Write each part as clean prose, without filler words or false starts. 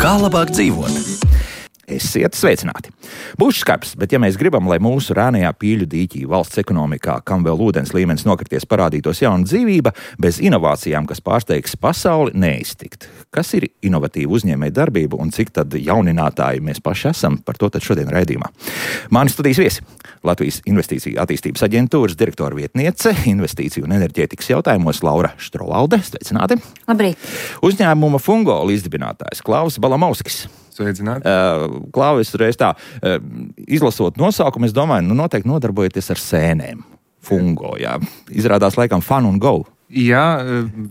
Kā labāk dzīvot? Esiet sveicināti! Būs skarbs, bet ja mēs gribam, lai mūsu rēnajā pīļu dīķī valsts ekonomikā, kam vēl ūdens līmenis nokrities, parādītos jauna dzīvība, bez inovācijām, kas pārsteigs pasauli, neiztikt. Kas ir inovatīva uzņēmēja darbība un cik tad jauninātāji mēs paši esam, par to tad šodien raidījumā. Mani studijas viesi - Latvijas Investīciju attīstības aģentūras direktora vietniece, investīciju un enerģētikas jautājumos Laura Štrovalde. Sveicināti! Labrīt! Uzņēmuma Fungo līdzdibinātājs Klaus Balamovskis. Sveicināti. Klauvis, reiz tā, izlasot nosaukumu, es domāju, noteikti nodarbojaties ar sēnēm. Fungo, jā. Izrādās laikam Fun and Go. Jā,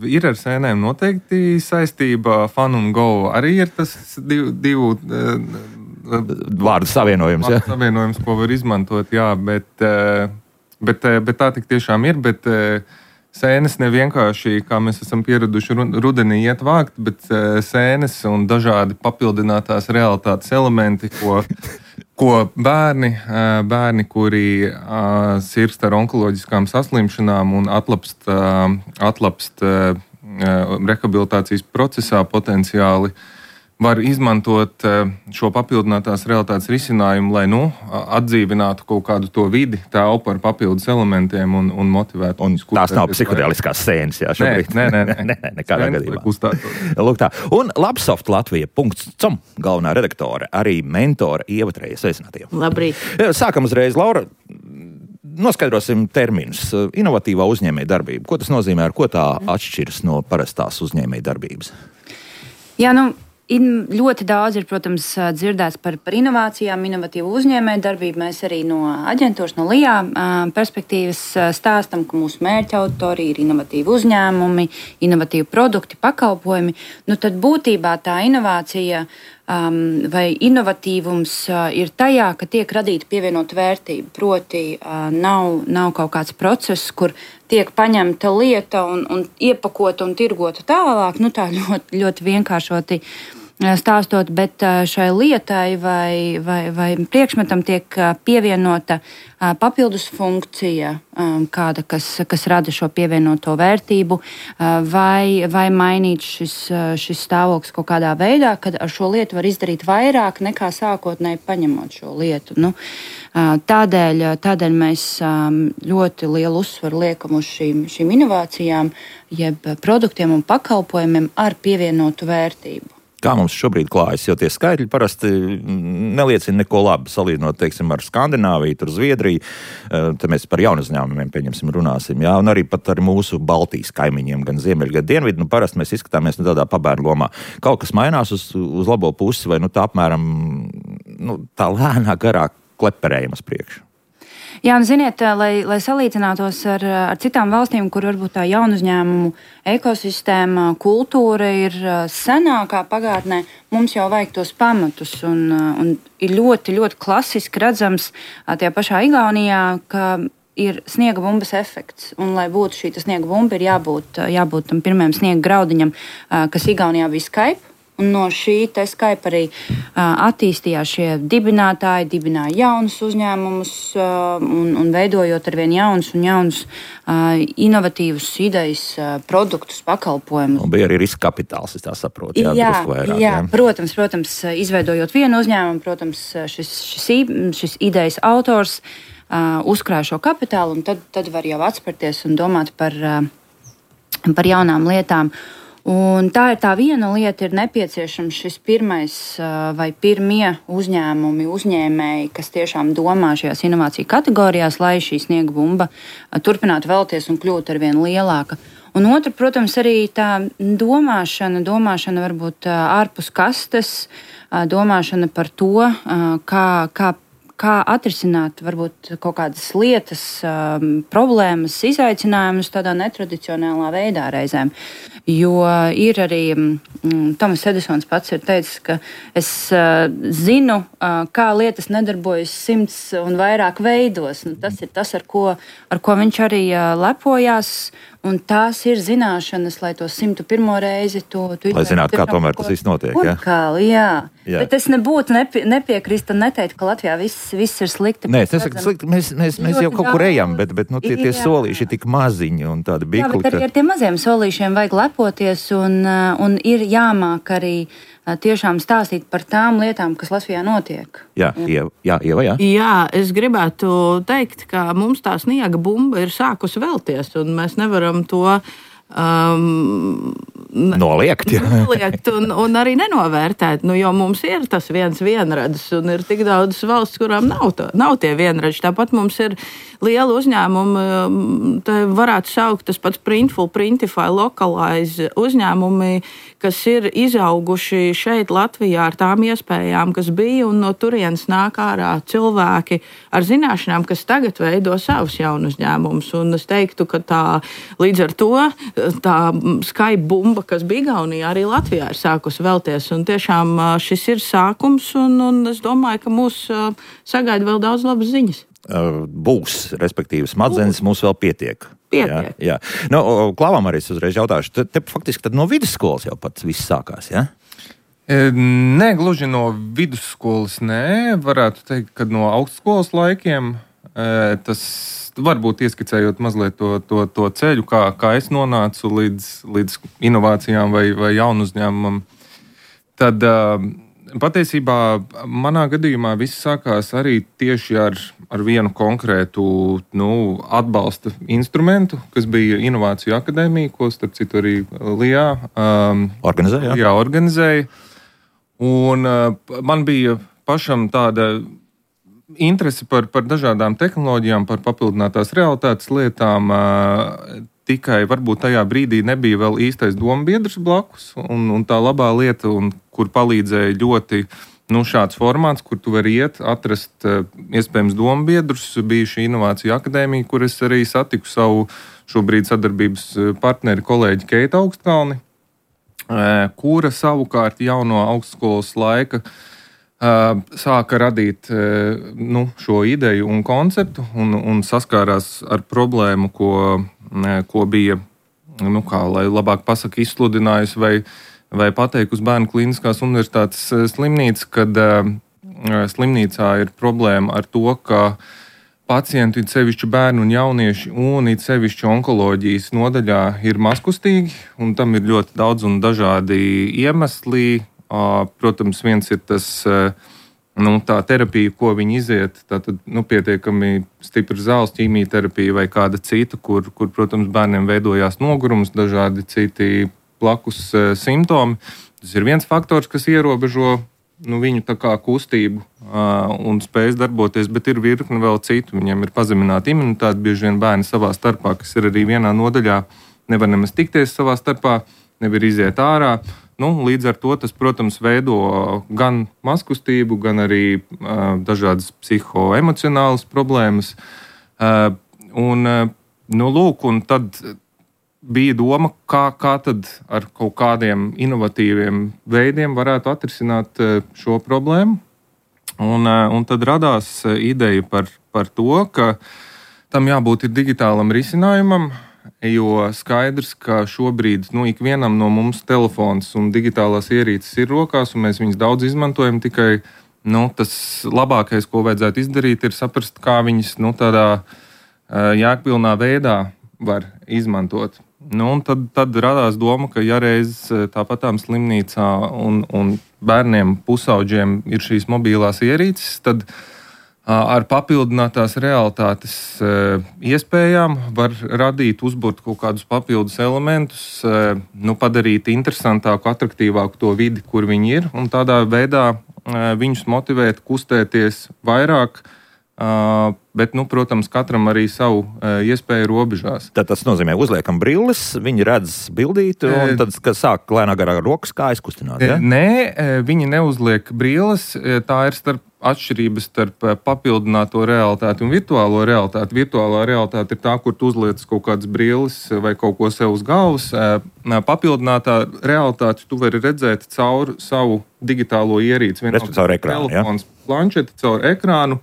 ir ar sēnēm noteikti saistība. Fun and Go arī ir tas divu vārdu savienojums, jā. Savienojums, ko var izmantot, jā, bet tā tik tiešām ir, bet sēnes nevienkārši, kā mēs esam pieraduši rudenī iet vākt, bet sēnes un dažādi papildinātās realitātes elementi, ko bērni, kuri sirgst ar onkoloģiskām saslimšanām un atlapst rehabilitācijas procesā potenciāli, var izmantot šo papildinātās realitātes risinājumu, lai atdzīvinātu kaut kādu to vidi, telpu ar papildus elementiem un motivētu. Un tās nav psihotēliskās sēnes, jā, šobrīd. Nē, nekādā gadījumā. Lūk tā. Un Labsoft Latvija.com galvenā redaktore, arī mentore Ieva Treja. Sveicināti. Labrīt! Sākam uzreiz, Laura. Noskaidrosim terminus. Inovatīvā uzņēmēja darbība. Ko tas nozīmē, ar ko tā atšķiras no parastās uzņēmēja darbības? Jā, ļoti daudz ir, protams, dzirdēts par inovācijām, inovatīvu uzņēmēju darbību. Mēs arī no aģentūras, no LIA perspektīvas stāstam, ka mūsu mērķa auditorija ir inovatīvi uzņēmumi, inovatīvi produkti, pakalpojumi. Tad būtībā tā inovācija vai inovatīvums ir tajā, ka tiek radīta pievienota vērtība. Proti, nav kaut kāds process, kur tiek paņemta lieta un iepakota un tirgota tālāk. Tā ļoti, ļoti vienkāršoti stāstot, bet šai lietai vai priekšmetam tiek pievienota papildus funkcija, kāda, kas rada šo pievienoto vērtību, vai mainīt šis stāvoklis kaut kādā veidā, kad ar šo lietu var izdarīt vairāk nekā sākotnēji paņemot šo lietu. Tādēļ mēs ļoti lielu uzsvaru liekam uz šīm inovācijām, jeb produktiem un pakalpojumiem ar pievienotu vērtību. Kā mums šobrīd klājas, jo tie skaitļi parasti neliecina neko labu, salīdzinot, teiksim, ar Skandināviju, tur Zviedriju. Te mēs par jaunu uzņēmumiem, runāsim, jā, un arī pat ar mūsu Baltijas kaimiņiem, gan ziemeļu, gan dienvidu. Parasti mēs izskatāmies tādā pabērnu lomā. Kaut kas mainās uz labo pusi, vai tā apmēram tā lēnā garā kleperējuma uz priekšu. Jā, ziniet, lai salīdzinātos ar citām valstīm, kur varbūt tā jaunu uzņēmumu ekosistēma, kultūra ir senākā pagātnē, mums jau vajag tos pamatus. Un ir ļoti, ļoti klasiski redzams tajā pašā Igaunijā, ka ir sniega bumbas efekts. Un, lai būtu šī sniega bumba, ir jābūt tam pirmajam sniega graudiņam, kas Igaunijā bija Skype. Un no šī Skype arī attīstījās šie dibinātāji, dibināja jaunus uzņēmumus un veidojot arvien jaunus inovatīvus idejas, produktus, pakalpojumus. Un bija arī riska kapitāls, es tā saprotu. Jā, protams, izveidojot vienu uzņēmumu, protams, šis idejas autors uzkrāja šo kapitālu, un tad var jau atspērties un domāt par jaunām lietām. Un tā ir tā viena lieta, ir nepieciešams šis pirmais vai pirmie uzņēmēji, kas tiešām domā šajās inovāciju kategorijās, lai šī sniega bumba turpinātu vēlties un kļūt arvien lielāka. Un otra, protams, arī tā domāšana varbūt ārpus kastes, domāšana par to, kā atrisināt varbūt kaut kādas lietas, problēmas, izaicinājumus tādā netradicionālā veidā reizēm. Jo ir arī Tomas Edisons pats ir teicis, ka es zinu, kā lietas nedarbojas 100 un vairāk veidos. Tas ir tas, ar ko viņš arī lepojās. Un tās ir zināšanas, lai to 101. reizi tu lai zinātu, kā tomēr tas viss notiek. Jā. Bet es nebūtu nepiekrist un neteikt, ka Latvijā viss ir slikti. Nē, es nesaku slikti, mēs jau kaut kur ejam, bet tie solīši ir tik maziņi un tādi bikli. Jā, bet arī ar tiem maziem solīšiem vajag lepoties un ir jāmāk arī tiešām stāstīt par tām lietām, kas Latvijā notiek. Jā, Ieva, jā. Jā, es gribētu teikt, ka mums tā sniega bumba ir sākusi velties, un mēs nevaram to noliegt un arī nenovērtēt, jo mums ir tas vienradis, un ir tik daudz valsts, kurām nav tie vienradži. Tāpat mums ir liela uzņēmumi, te varētu saukt tas pats Printful, Printify, Localize uzņēmumi, kas ir izauguši šeit Latvijā ar tām iespējām, kas bija, un no turienes nāk ārā cilvēki ar zināšanām, kas tagad veido savus jaunu uzņēmumus. Un es teiktu, ka līdz ar to tā Skype bumba, kas bija Igaunijā, arī Latvijā ir sākusi velties. Un tiešām šis ir sākums, un es domāju, ka mūs sagaida vēl daudz labas ziņas. Būs, respektīvi, smadzenes mums vēl pietiek. Jā. Klāvam arī es uzreiz jautāšu, te faktiski tad no vidusskolas jau pats viss sākās, jā? Nē, gluži no vidusskolas, nē. Varētu teikt, ka no augstskolas laikiem tas varbūt ieskicējot mazliet to ceļu, kā es nonācu līdz inovācijām vai jaunu uzņēmumam. Tad patiesībā manā gadījumā viss sākās arī tieši ar vienu konkrētu atbalsta instrumentu, kas bija Inovāciju akadēmija, ko starp citu arī Lijā organizēja. Un man bija pašam tāda interesi par dažādām tehnoloģijām, par papildinātās realitātes lietām. Tikai varbūt tajā brīdī nebija vēl īstais dombiedrs blakus, un tā labā lieta, kur palīdzēja ļoti šāds formāts, kur tu vari atrast iespējams dombiedrus, bija šī Inovāciju akadēmija, kur es arī satiku savu šobrīd sadarbības partneri kolēģi Keitu Augstkalni, kura savukārt jau no augstskolas laika sāka radīt šo ideju un konceptu un saskārās ar problēmu, ko bija, kā lai labāk pasaka, izsludinājusi vai pateikusi Bērnu Kliniskās universitātes slimnīca, kad slimnīcā ir problēma ar to, ka pacienti, it sevišķi bērni un jaunieši, un it sevišķi onkoloģijas nodaļā ir mazkustīgi, un tam ir ļoti daudz un dažādi iemesli. Protams, viens ir tas, tā terapija, ko viņi iziet, tātad pietiekami stipra zāles ķīmijterapija vai kāda cita, kur, protams, bērniem veidojās nogurums, dažādi citi blakus simptomi. Tas ir viens faktors, kas ierobežo viņu tā kā kustību un spējas darboties, bet ir virkne vēl citu. Viņiem ir pazemināta imunitāte, bieži vien bērni savā starpā, kas ir arī vienā nodaļā, nevar nemaz tikties savā starpā, nevar iziet ārā. Līdz ar to tas, protams, veido gan mazkustību, gan arī dažādas psihoemocionālas problēmas. Un tad bija doma, kā tad ar kaut kādiem inovatīviem veidiem varētu atrisināt šo problēmu. Un tad radās ideja par to, ka tam jābūt ir digitālam risinājumam, jo skaidrs, ka šobrīd ikvienam no mums telefons un digitālās ierīces ir rokās, un mēs viņus daudz izmantojam. Tikai tas labākais, ko vajadzētu izdarīt, ir saprast, kā viņas tādā jēgpilnā veidā var izmantot. Tad radās doma, ka ja reiz tāpatām slimnīcā un bērniem pusauģiem ir šīs mobilās ierīces, tad ar papildinātās realitātes iespējām var radīt, uzburt kaut kādus papildus elementus, padarīt interesantāku, atraktīvāku to vidi, kur viņi ir, un tādā veidā viņus motivēt, kustēties vairāk, bet, protams, katram arī savu iespēju robežās. Tad tas nozīmē, uzliekam brilles, viņi redz bildīti, un tad sāk lēnā garā rokas kājas kustināt, ja? Nē, viņi neuzliek brilles, tā ir atšķirības starp papildināto realitāti un virtuālo realitāti. Virtuālā realitāte ir tā, kur tu uzliec kaut kādas brilles vai kaut ko sev uz galvas. Papildinātā realitāte tu vari redzēt caur savu digitālo ierīci. Caur ekrānu, telefons, planšeti, caur ekrānu.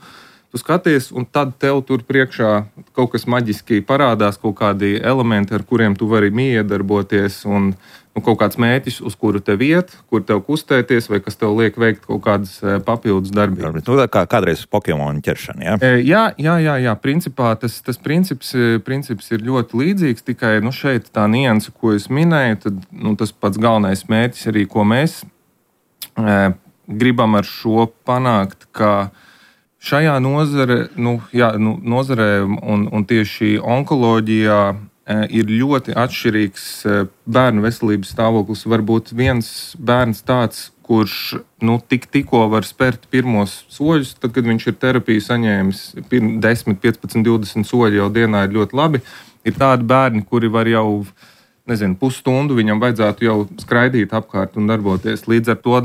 tu skaties, un tad tev tur priekšā kaut kas maģiski parādās, kaut kādi elementi, ar kuriem tu vari miedarboties, un kaut kāds mērķis, uz kuru tev iet, kur tev kustēties, vai kas tev liek veikt kaut kādas papildus darbības. Kā kādreiz Pokemonu ķeršana, jā? Jā. Principā tas princips ir ļoti līdzīgs, tikai šeit tā nianse, ko es minēju, tad tas pats galvenais mērķis arī, ko mēs gribam ar šo panākt, ka šajā nozarē un tieši onkoloģijā ir ļoti atšķirīgs bērnu veselības stāvoklis. Varbūt viens bērns tāds, kurš tikko var spērt pirmos soļus, tad, kad viņš ir terapiju saņēmis 10, 15, 20 soļi jau dienā ir ļoti labi. Ir tādi bērni, kuri var jau, pusstundu viņam vajadzētu jau skraidīt apkārt un darboties. Līdz ar to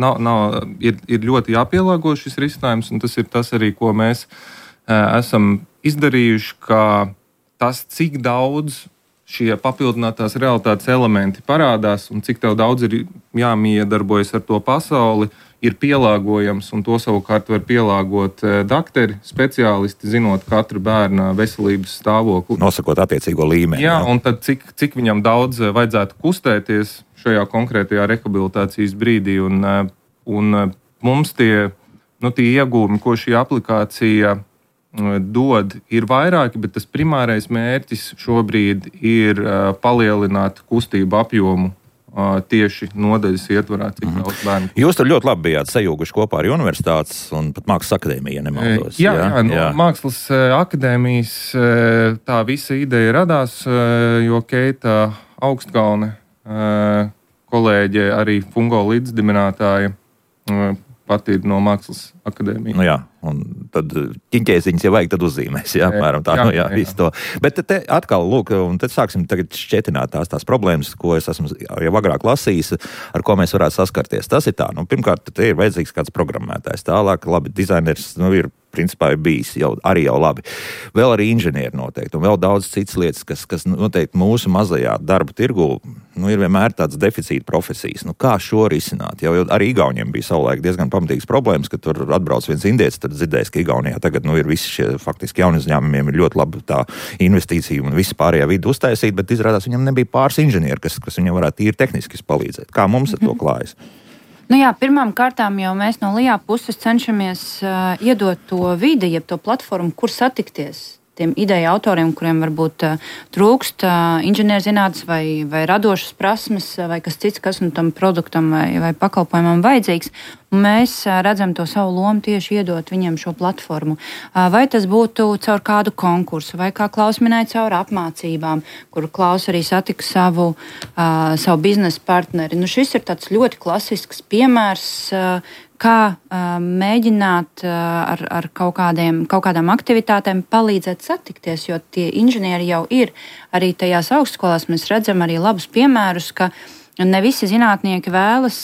ir ļoti jāpielāgo šis risinājums, un tas ir tas arī, ko mēs esam izdarījuši, ka tas, cik daudz šie papildinātās realitātes elementi parādās un cik tev daudz ir jāmiedarbojas ar to pasauli, ir pielāgojams, un to savukārt var pielāgot dakteri, speciālisti, zinot katra bērna veselības stāvokli. Nosakot attiecīgo līmeni. Jā, un tad cik viņam daudz vajadzētu kustēties šajā konkrētajā rehabilitācijas brīdī, un mums tie iegūmi, ko šī aplikācija dod, ir vairāki, bet tas primārais mērķis šobrīd ir palielināt kustību apjomu tieši nodaļas ietvarā, cik daudz bērnu. Jūs tur ļoti labi bijāt sajūguši kopā ar universitātes un pat Mākslas akadēmiju, ja nemaldos. Jā. Mākslas akadēmijas tā visa ideja radās, jo Keita Augstkalne, kolēģe, arī Fungo līdzdibinātāja, pat ir no Mākslas akadēmijas. Un tad ķiņķēziņas, ja vajag, tad uzzīmēs, apmēram tā, visu to. Bet te atkal, lūk, un tad sāksim tagad šķetināt tās problēmas, ko es esmu jau agrāk lasījis, ar ko mēs varētu saskarties. Tas ir tā, pirmkārt, te ir vajadzīgs kāds programmētājs, tālāk, labi, dizainers, ir principā ir bijis jau labi. Vēl arī inženieri noteikti, un vēl daudz citas lietas, kas noteikti mūsu mazajā darba tirgu, ir vienmēr tāds deficīta profesijas. Kā šo risināt? Jau arī Igauniem bija savulaik diezgan pamatīgas problēmas, ka tur atbrauc viens indietis, tad dzirdējis, ka Igaunijā tagad ir visi šie faktiski jauni uzņēmumiem ir ļoti laba tā investīcija un visi pārējā vidi uztaisīt, bet izrādās viņam nebija pāris inženieri, kas viņam varētu tīri tehniski palīdzēt. Kā mums ar to klājas? Pirmām kārtām jau mēs no LIA puses cenšamies iedot to vidi, jeb to platformu, kur satikties tiem ideju autoriem, kuriem varbūt trūkst inženierzinātnes vai radošas prasmes vai kas cits, kas tam produktam vai pakalpojumam vajadzīgs. Un mēs redzam to savu lomu tieši iedot viņiem šo platformu. Vai tas būtu caur kādu konkursu, vai kā Klaus minēja, caur apmācībām, kur Klaus arī satika savu biznesa partneri. Šis ir tāds ļoti klasisks piemērs, kā mēģināt ar kaut kādām aktivitātēm palīdzēt satikties, jo tie inženieri jau ir arī tajās augstskolās. Mēs redzam arī labus piemērus, ka ne visi zinātnieki vēlas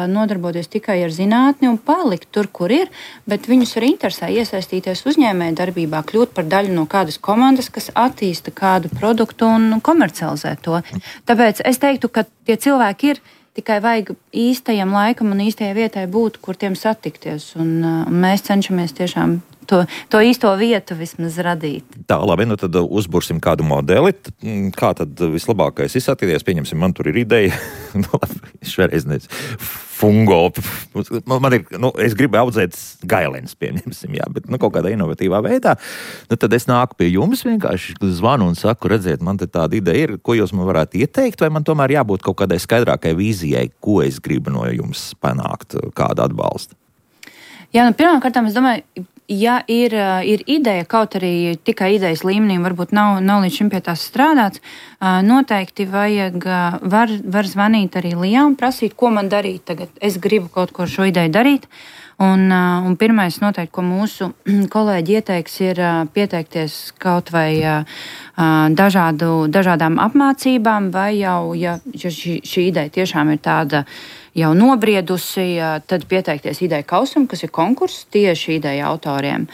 nodarboties tikai ar zinātni un palikt tur, kur ir, bet viņus arī interesē iesaistīties uzņēmēju darbībā, kļūt par daļu no kādas komandas, kas attīsta kādu produktu un komercializē to. Tāpēc es teiktu, ka tie cilvēki ir, tikai vajag īstajam laikam un īstajai vietai būt, kur tiem satikties. Un mēs cenšamies tiešām to īsto vietu vismaz radīt. Tā, labi, tad uzbursim kādu modeli. Kā tad vislabākais izsatīties? Pieņemsim, man tur ir ideja. Šoreiz fungo. Man ir, es gribu audzēt gailens, pieņemsim, bet kaut kādā inovatīvā veidā. Tad es nāku pie jums, vienkārši zvanu un saku, redziet, man te tāda ideja ir, ko jūs man varētu ieteikt, vai man tomēr jābūt kaut kādai skaidrākai vīzijai, ko es gribu no jums panākt, kādu atbalstu? Pirmkārt, es domāju, ja ir ideja, kaut arī tikai idejas līmenī, varbūt nav līdz šim pie tās strādāts, noteikti var zvanīt arī LIA un prasīt, ko man darīt tagad. Es gribu kaut ko šo ideju darīt. Un pirmais noteikti, ko mūsu kolēģi ieteiks, ir pieteikties kaut vai dažādām apmācībām, vai jau, ja šī ideja tiešām ir tāda jau nobriedusi, tad pieteikties ideju kausam, kas ir konkurss tieši ideju autoriem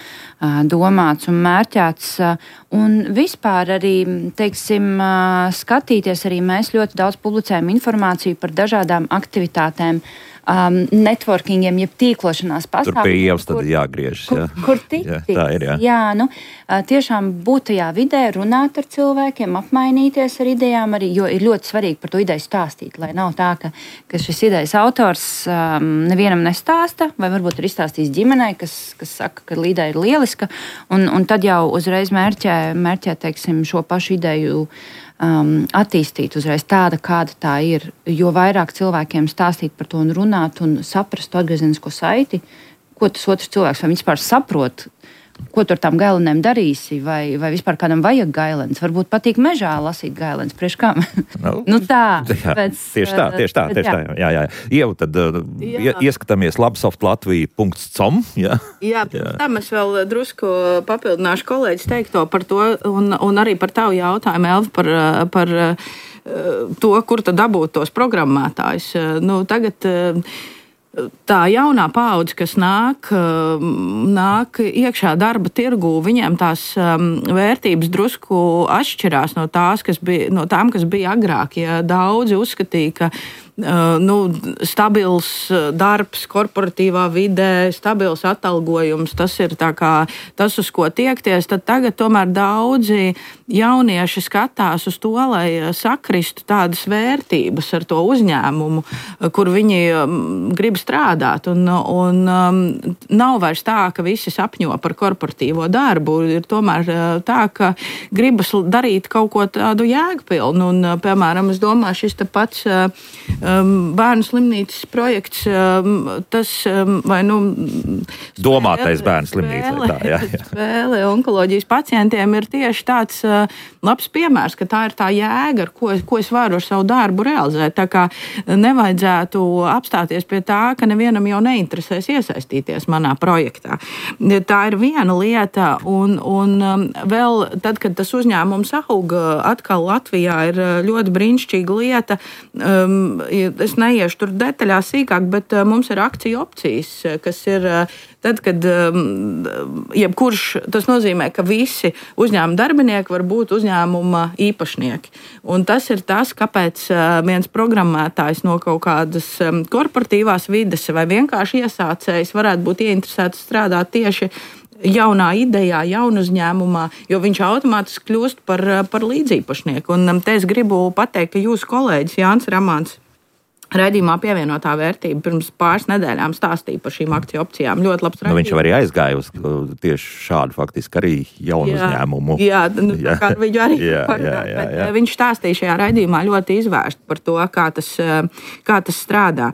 domāts un mērķēts. Un vispār arī, skatīties arī mēs ļoti daudz publicējam informāciju par dažādām aktivitātēm networkingiem, jeb tīklošanās pasākumiem. Tur pie ievas tad jāgriežas. Kur tikt? Tā ir, jā. Jā, nu, tiešām būt tajā vidē, runāt ar cilvēkiem, apmainīties ar idejām, arī, jo ir ļoti svarīgi par to ideju stāstīt, lai nav tā, ka šis idejas autors nevienam nestāsta, vai varbūt ir izstāstījis ģimenei, kas saka, ka ideja ir lieliska, un tad jau uzreiz mērķē teiksim, šo pašu ideju attīstīt uzreiz tāda, kāda tā ir. Jo vairāk cilvēkiem stāstīt par to un runāt un saprast to atgriezenisko saiti, ko tas otrs cilvēks vai vispār saprot, ko tu ar tām gailenēm darīsi, vai vispār kādam vajag gailens. Varbūt patīk mežā lasīt gailens, priekš kam? Nu tā. Tieši tā. Jā. Ieva, tad ieskatāmies labsoftlatvija.com. Jā, tam es vēl drusku papildināšu kolēģis teikto par to, un arī par tavu jautājumu, Elva, par to, kur tad dabūt tos programmētājus. Nu, tagad tā jaunā paudze, kas nāk iekšā darba tirgū, viņiem tās vērtības drusku atšķirās no tām, kas bija agrāk. Ja daudzi uzskatīja, ka stabils darbs, korporatīvā vidē, stabils atalgojums, tas ir tas, uz ko tiekties, tad tagad tomēr daudzi jaunieši skatās uz to, lai sakristu tādas vērtības ar to uzņēmumu, kur viņi grib strādāt. Un nav vairs tā, ka visi sapņo par korporatīvo darbu. Ir tomēr tā, ka gribas darīt kaut ko tādu jēgpilnu. Un, piemēram, es domāju, šis te pats bērnu slimnīcas projekts, tas vai domātais bērnu slimnīca. Spēle onkoloģijas pacientiem ir tieši tāds labs piemērs, ka tā ir tā jēga, ar ko es varu ar savu darbu realizēt. Tā kā nevajadzētu apstāties pie tā, ka nevienam jau neinteresēs iesaistīties manā projektā. Tā ir viena lieta, un vēl tad, kad tas uzņēmums auga, atkal Latvijā ir ļoti brīnišķīga lieta. Es neiešu tur detaļās sīkāk, bet mums ir akciju opcijas, kas ir tad, kad jebkurš, tas nozīmē, ka visi uzņēmuma darbinieki var būt uzņēmuma īpašnieki. Un tas ir tas, kāpēc viens programmētājs no kaut kādas korporatīvās vides vai vienkārši iesācējs varētu būt ieinteresēts strādāt tieši jaunā idejā, jaunu uzņēmumā, jo viņš automātiski kļūst par līdzīpašnieku. Un te es gribu pateikt, ka jūsu kolēģis Jānis Ramāns raidījumā pievienotā vērtība pirms pāris nedēļām stāstīja par šīm akciju opcijām. Ļoti labs raidījums. Viņš jau arī aizgāja uz tieši šādu faktiski arī jaunu uzņēmumu. Jā, kā viņu arī bet viņš stāstīja šajā raidījumā ļoti izvērst par to, kā tas strādā.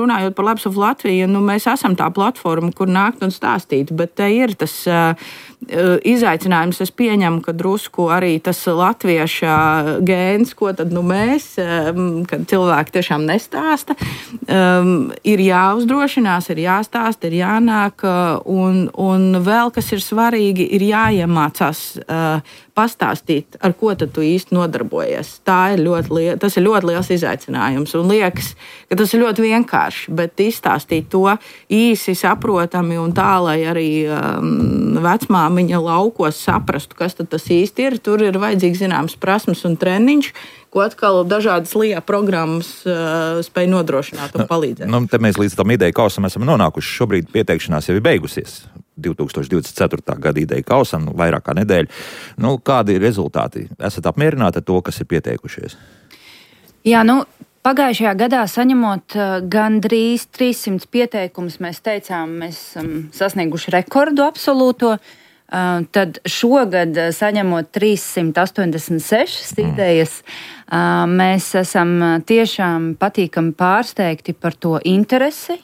Runājot par Labs of Latviju, mēs esam tā platforma, kur nākt un stāstīt, bet te ir tas izaicinājums. Es pieņemu, ka drusku arī tas latvieša gēns, ko tad mēs, kad cilvēki tiešām nestāsta, ir jāuzdrošinās, ir jāstāsta, ir jānāk, un vēl, kas ir svarīgi, ir jāiemācās pastāstīt, ar ko tad tu īsti nodarbojies. Tas ir ļoti liels izaicinājums, un liekas, ka tas ir ļoti vienkārši, bet izstāstīt to īsi, saprotami un tā, lai arī vecmāmiņa laukos saprastu, kas tad tas īsti ir. Tur ir vajadzīgs zināms prasmes un treniņš, ko atkal dažādas LIA programmas spēj nodrošināt un palīdzēt. Te mēs līdz tam ideju kausam esam nonākuši. Šobrīd pieteikšanās jau ir beigusies. 2024. gada ideju kausam, vairāk kā nedēļa. Kādi ir rezultāti? Esat apmierināti ar to, kas ir pieteikušies? Jā, pagājušajā gadā saņemot gandrīz 300 pieteikumus, mēs teicām, mēs esam sasnieguši rekordu absolūto. Tad šogad, saņemot 386 idejas, mēs esam tiešām patīkami pārsteigti par to interesi.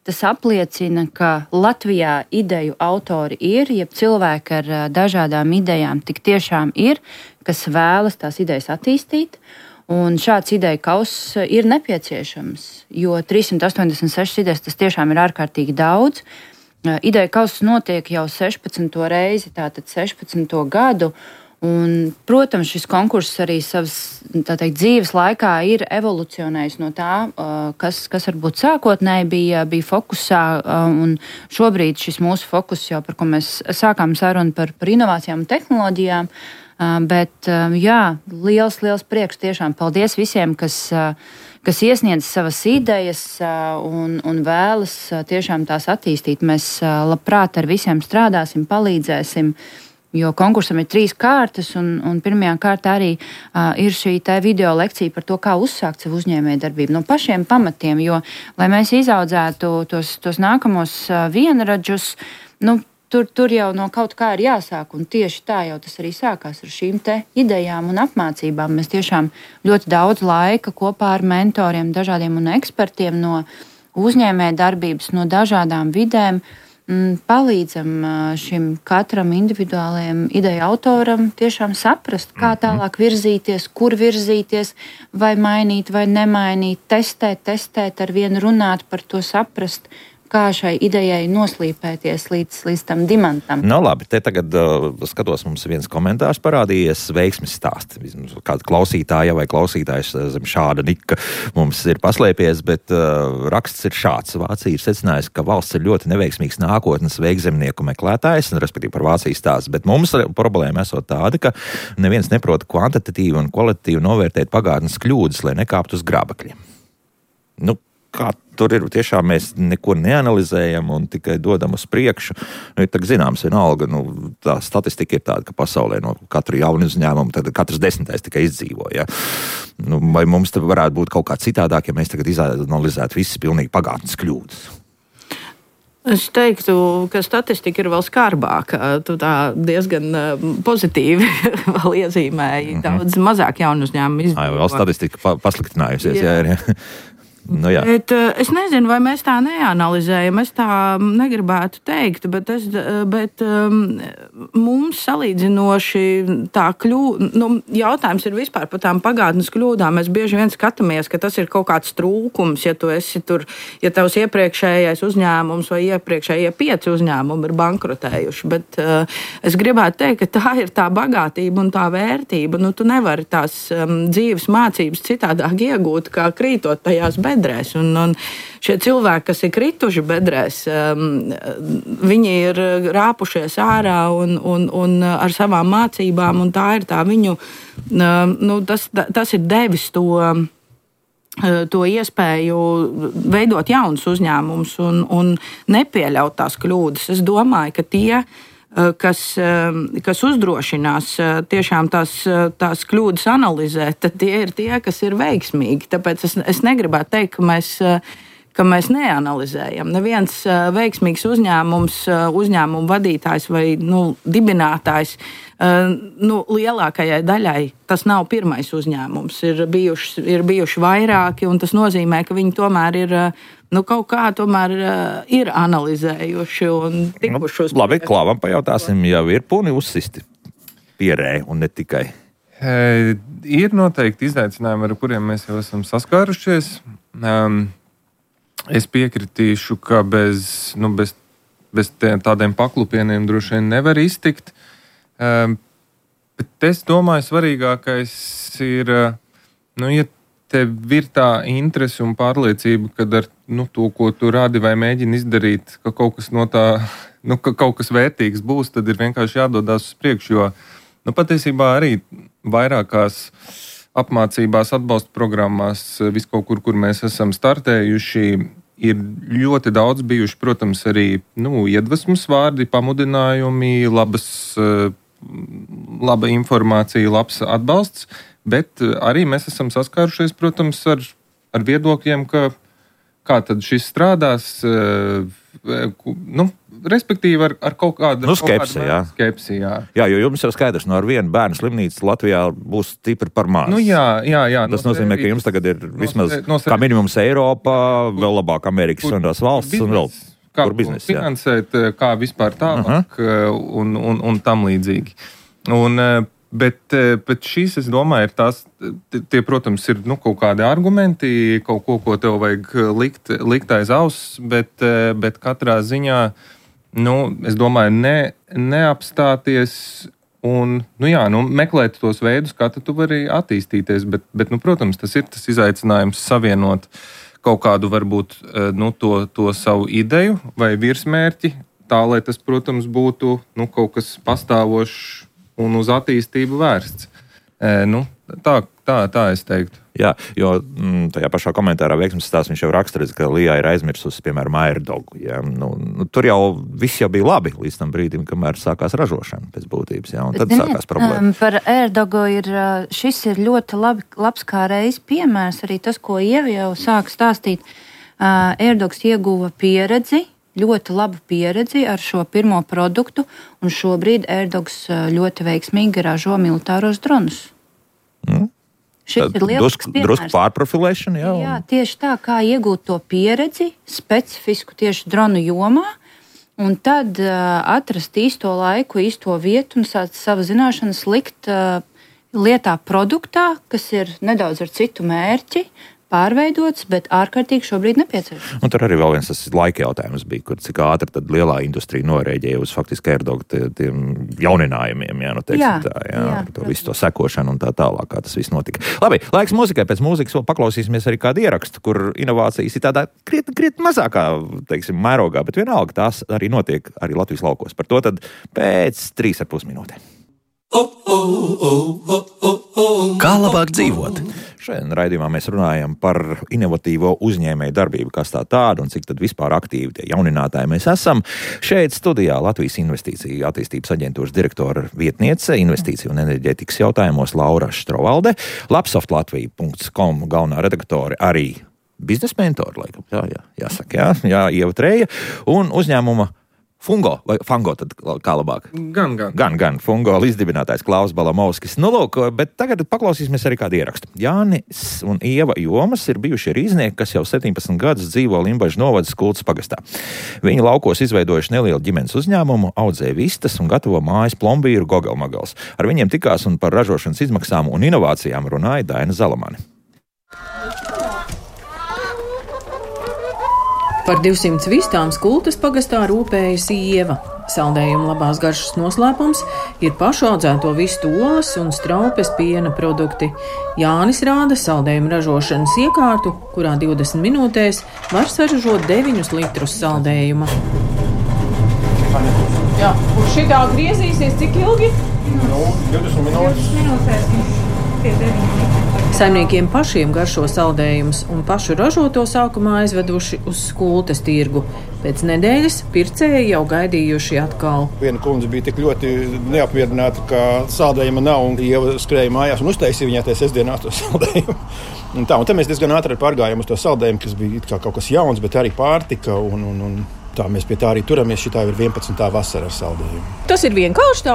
Tas apliecina, ka Latvijā ideju autori ir, jeb cilvēki ar dažādām idejām tik tiešām ir, kas vēlas tās idejas attīstīt. Un šāds ideju kauss ir nepieciešams, jo 386 idejas tas tiešām ir ārkārtīgi daudz. Ideju kauss notiek jau 16. reizi, tātad 16. gadu. Un, protams, šis konkurss arī savas dzīves laikā ir evolucionējis no tā, kas varbūt sākotnēji bija fokusā. Un šobrīd šis mūsu fokus jau, par ko mēs sākām sarunu par inovācijām un tehnoloģijām, Bet, jā, liels prieks tiešām. Paldies visiem, kas iesniedz savas idejas un vēlas tiešām tās attīstīt. Mēs labprāt ar visiem strādāsim, palīdzēsim. Jo konkursam ir 3 kārtas, un pirmajā kārtā arī ir šī video lekcija par to, kā uzsākt savu uzņēmējdarbību no pašiem pamatiem. Jo, lai mēs izaudzētu tos nākamos vienradžus, tur jau no kaut kā ir jāsāk, un tieši tā jau tas arī sākās ar šīm te idejām un apmācībām. Mēs tiešām ļoti daudz laika kopā ar mentoriem, dažādiem un ekspertiem no uzņēmējdarbības, no dažādām vidēm palīdzam šim katram individuālajam ideju autoram tiešām saprast, kā tālāk virzīties, kur virzīties, vai mainīt, vai nemainīt, testēt, ar vienu runāt par to, saprast, kā šai idejai noslīpēties līdz tam dimantam. Labi, te tagad skatos, mums viens komentārs parādījies, veiksmes stāsts. Kāda klausītāja vai klausītājs zem šāda nika mums ir paslēpies, bet raksts ir šāds. Vācija ir secinājusi, ka valsts ir ļoti neveiksmīgs nākotnes veikzemnieku meklētājs, respektīvi par Vācijas stāsts, bet mums problēma esot tāda, ka neviens neprot kvantitatīvi un kvalitatīvi novērtēt pagātnes kļūdas, lai nekāptu uz grābekļiem. Kā tur ir, tiešām mēs neko neanalizējam un tikai dodam uz priekšu. Ir tā zināms, vienalga, tā statistika ir tāda, ka pasaulē no katru jaunu uzņēmumu tad katrs 10. tikai izdzīvo. Ja? Vai mums te varētu būt kaut kā citādāk, ja mēs tagad izanalizētu visas pilnīgi pagātnes kļūdas? Es teiktu, ka statistika ir vēl skarbāka. Tu tā diezgan pozitīvi vēl iezīmēji. Daudz mazāk jaunu uzņēmumu izdzīvo. Vēl statistika pasliktinājusies, jā. Bet es nezinu, vai mēs tā neanalizējam. Es tā negribētu teikt, bet mums salīdzinoši tā jautājums ir vispār par tām pagātnes kļūdām. Mēs bieži vien skatāmies, ka tas ir kaut kāds trūkums, ja tu esi tur, ja tavs iepriekšējais uzņēmums vai iepriekšējie 5 uzņēmumi ir bankrotējuši. Bet es gribētu teikt, ka tā ir tā bagātība un tā vērtība. Tu nevari tās dzīves mācības citādāk iegūt, kā krītot tajās bedrēs. Un šie cilvēki, kas ir krituši bedrēs, viņi ir rāpušies ārā un ar savām mācībām, un tā ir tā viņu, tas ir devis to iespēju veidot jaunus uzņēmumus un nepieļaut tās kļūdas. Es domāju, ka tie, kas uzdrošinās tiešām tās kļūdas analizēt, tad tie ir tie, kas ir veiksmīgi. Tāpēc es negribētu teikt, ka mēs neanalizējam. Neviens veiksmīgs uzņēmumu vadītājs vai dibinātājs, lielākajai daļai tas nav pirmais uzņēmums. Ir bijuši vairāki, un tas nozīmē, ka viņi tomēr ir kaut kā ir analizējuši un tikuši uz... Labi, Klāvam pajautāsim, jau ir puni uzsisti pierē un ne tikai. Ir noteikti izaicinājumi, ar kuriem mēs jau esam saskārušies. Es piekritīšu, ka bez tādiem paklupieniem droši vien nevar iztikt. Bet es domāju, svarīgākais ir, ja tev ir tā interese un pārliecība, ka ar to, ko tu rādi vai mēģini izdarīt, ka kaut kas no tā, ka kaut kas vērtīgs būs, tad ir vienkārši jādodās uz priekšu, jo patiesībā arī vairākās apmācībās, atbalsta programmās, viskaut kur mēs esam startējuši, ir ļoti daudz bijuši, protams, arī iedvesmas vārdi, pamudinājumi, laba informācija, labs atbalsts, bet arī mēs esam saskārušies, protams, ar viedokļiem, kā tad šis strādās, respektīvi ar kaut kādu skepsi. Jā, jo jums jau skaidrs, ar vienu bērnu slimnīcu Latvijā būs stipri par maz. Jā. Tas nozīmē, ka jums tagad ir vismaz kā minimums Eiropā, vēl labāk Amerikas Savienotās valsts un vēl kur biznesa. Finansēt, kā vispār tālāk un tam līdzīgi. Bet šīs, es domāju, tie, protams, ir kaut kādi argumenti, kaut ko tev vajag likt aiz auss, bet katrā ziņā, es domāju, neapstāties un, meklēt tos veidus, kā tu vari attīstīties, bet protams, tas ir tas izaicinājums savienot kaut kādu, varbūt, to savu ideju vai virsmērķi, tā, lai tas, protams, būtu, kaut kas pastāvošs un uz attīstību vērsts. Tā es teiktu. Jā, jo tajā pašā komentārā veiksmes stāsts viņš jau raksta, ka Lijā ir aizmirsusi, piemēram, AirDogu. Ja? Tur jau viss jau bija labi līdz tam brīdim, kamēr sākās ražošana pēc būtības, ja? Un tad sākās problēma. Par AirDogu šis ir ļoti labs kā reiz piemērs, arī tas, ko Ieva jau sāk stāstīt. AirDogs ieguva pieredzi, ļoti labu pieredzi ar šo pirmo produktu, un šobrīd AirDogs ļoti veiksmīgi ražo militāros dronus. Šis ir lielisks piemērs. Drusku pārprofilēšana, jā. Jā, tieši tā, kā iegūt to pieredzi, specifisku tieši dronu jomā, un tad atrast īsto laiku, īsto vietu un savu zināšanas likt lietā produktā, kas ir nedaudz ar citu mērķi, pārveidots, bet ārkārtīgi šobrīd nepieciešams. Un tur arī vēl viens tas laika jautājums bija, kur cik ātri tad lielā industrija norēģēja uz faktiski AirDogu tiem jauninājumiem, jā, to visu to sekošanu un tā tālāk, kā tas viss notika. Labi, laiks mūzikai, pēc mūzikas vēl paklausīsimies arī kādu ierakstu, kur inovācijas ir tādā krietni mazākā, teiksim, mērogā, bet vienalga tās arī notiek arī Latvijas laukos. Par to tad pēc 3,5 minūtēm. Kā labāk dzīvot? Šajā raidījumā mēs runājam par inovatīvo uzņēmēju darbību, kas tā tāda un cik tad vispār aktīvi tie jauninātāji mēs esam. Šeit studijā Latvijas Investīciju attīstības aģentūras direktora vietniece investīciju un enerģētikas jautājumos Laura Štrovalde, lapsoftlatvija.com galvenā redaktore arī biznesa mentori, laikam, jāsaka, Ieva Treja un uzņēmuma Fungo vai Fango, tad kā labāk? Gan. Fungo līdzdibinātājs Klaus Balamovskis. Nu, lūk, bet tagad paklausīsimies arī kādu ierakstu. Jānis un Ieva Jomas ir bijuši rīznieki, kas jau 17 gadus dzīvo Limbažu novada Kultas pagastā. Viņi laukos izveidojuši nelielu ģimenes uzņēmumu, audzē vistas un gatavo mājas plombīru Gogelmagals. Ar viņiem tikās un par ražošanas izmaksām un inovācijām runāja Daina Zalamane. Par 200 vistām Kultas pagastā rūpējas Ieva. Saldējuma labās garšas noslēpums ir pašu audzēto vistu olas un straupes piena produkti. Jānis rāda saldējuma ražošanas iekārtu, kurā 20 minūtēs var saražot 9 litrus saldējuma. Jā, un šitā griezīsies cik ilgi? 20 minūtes. Saimniekiem pašiem garšo saldējumus un pašu ražoto sākumā aizveduši uz Kultas tirgu. Pēc nedēļas pircēji jau gaidījuši atkal. Viena kundze bija tik ļoti neapmierināta, ka saldējuma nav, un Ieva skrēja mājās un uztaisīja viņai tajā sestdienā to saldējumu. Un tad mēs diezgan ātri pārgājām uz to saldējumu, kas bija kā kaut kas jauns, bet arī pārtika un tā mēs pie tā arī turamies. Šitā ir 11. vasara ar saldējumu. Tas ir vienkārši tā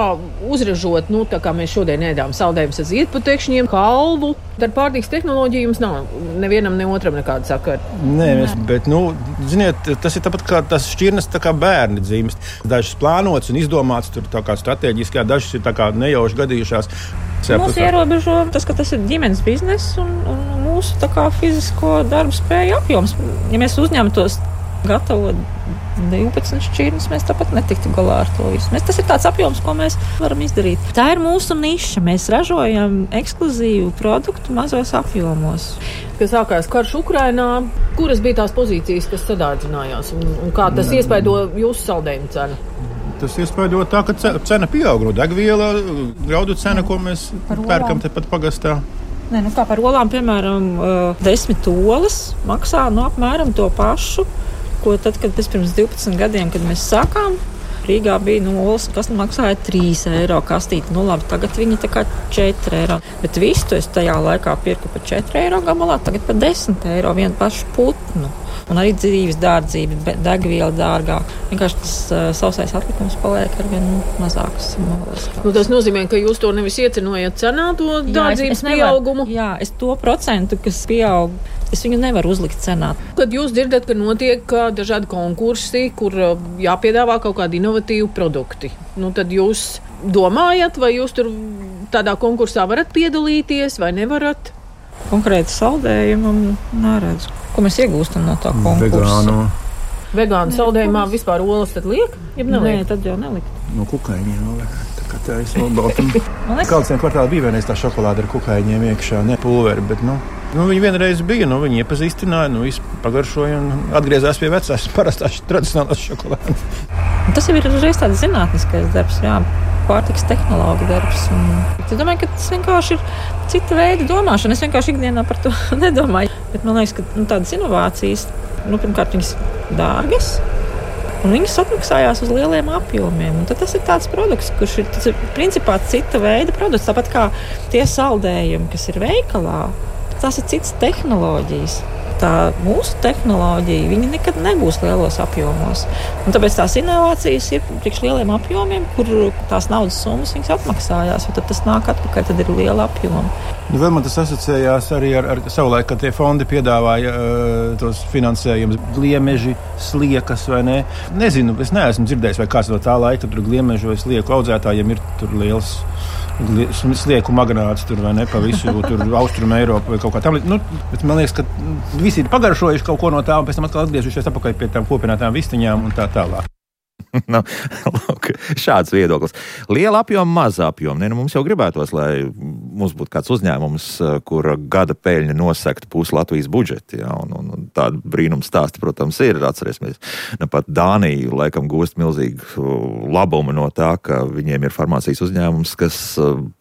uzražot, tā kā mēs šodien ēdām saldējumus ar ziedputekšņiem, kalvu. Ar pārtikas tehnoloģiju jums nav nevienam, ne otram nekāda sakara. Nē, bet, ziniet, tas ir tāpat kā tas šķirnes, tā kā bērni dzimst. Dažas plānotas un izdomātas, tur tā kā strateģiski, dažas ir tā kā nejauši gadījušās. Mūs ierobežo tas, ka tas ir ģimenes bizness un mūsu tā kā fizisko darbu spēju apjoms. Ja mēs uzņemtos gatavot 12 šķirnes, mēs tāpat netiktu galā ar to visu. Tas ir tāds apjoms, ko mēs varam izdarīt. Tā ir mūsu niša. Mēs ražojam ekskluzīvu produktu mazos apjomos. Kad sākās karš Ukrainā, kuras bija tās pozīcijas, kas sadārdzinājās? Un kā tas iespaido jūsu saldējumu cenu? Tas iespaido tā, ka cena pieaug. Degviela, graudu cena, ko mēs pērkam tepat pagastā. Kā par olām, piemēram, 10 olas maksā apmēram to pašu, ko tad, kad pirms 12 gadiem, kad mēs sākām, Rīgā bija olas, kas maksāja 3 eiro kastīti. Labi, tagad viņi tā kā 4 eiro. Bet visu es tajā laikā pirku par 4 eiro gabalā, tagad par 10 eiro vienu pašu putnu. Un arī dzīves dārdzība, degviela dārgāk. Vienkārši tas sausais atlikums paliek arvien mazāks. Tas nozīmē, ka jūs to nevis iecenojat cenā, to dārdzības pieaugumu? Jā, es to procentu, kas pieaug, es viņu nevaru uzlikt cenā. Kad jūs dzirdat, ka notiek dažādi konkursi, kur jāpiedāvā kaut kādi inovatīvi produkti, tad jūs domājat, vai jūs tur tādā konkursā varat piedalīties vai nevarat? Konkrēti saldējumam neredzu. Ko mēs iegūstam no tā konkursa? Vegānu saldējumā vispār olas tad liek? Nē, tad jau nelikt. No kukaiņiem vēl liek. Tā ir smalbaltam. Kādsiem kvartāli bija vienreiz tā šokolāde ar kukaiņiem iekšā, ne pulveri, bet viņi vienreiz bija, viņi iepazīstināja, visu pagaršoja un atgriezās pie vecās parastās tradicionālās šokolādes. Tas jau ir reiz tāds zinātniskais darbs, jā. pārtikas tehnologa darbs. Es domāju, ka tas vienkārši ir cita veida domāšana. Es vienkārši ikdienā par to nedomāju. Bet man liekas, ka tādas inovācijas, pirmkārt, viņas dārgas. Un viņas atmaksājās uz lieliem apjomiem. Un tad tas ir tāds produkts, kurš ir principā cita veida produkts. Tāpat kā tie saldējumi, kas ir veikalā, tas ir citas tehnoloģijas. Tā mūsu tehnoloģija, viņa nekad nebūs lielos apjomos. Un tāpēc tās inovācijas ir priekš lieliem apjomiem, kur tās naudas summas viņas atmaksājās. Tad tas nāk atpakaļ, tad ir liela apjoma. Vēl man tas asociējās arī ar savulaik, kad tie fondi piedāvāja tos finansējumus, gliemeži, sliekas vai ne. Nezinu, es neesmu dzirdējis, vai kāds no tā laika tur gliemežu vai slieku audzētājiem ir tur liels slieku magnāts tur vai ne pa visu tur Austrumu Eiropu vai kaut kā tam. Bet man liekas, ka visi ir pagaršojuši kaut ko no tā un pēc tam atkal atgriežušies atpakaļ pie tām kopinātām vistiņām un tā tālāk. Lūk, šāds viedoklis. Liela apjoma, maza apjoma. Mums jau gribētos, lai mums būtu kāds uzņēmums, kura gada peļņa nosegtu pusi Latvijas budžeti. Ja, un tāda brīnums stāsti, protams, ir. Atcerēsimies, pat Dānija laikam gūst milzīgu labumu no tā, ka viņiem ir farmācijas uzņēmums, kas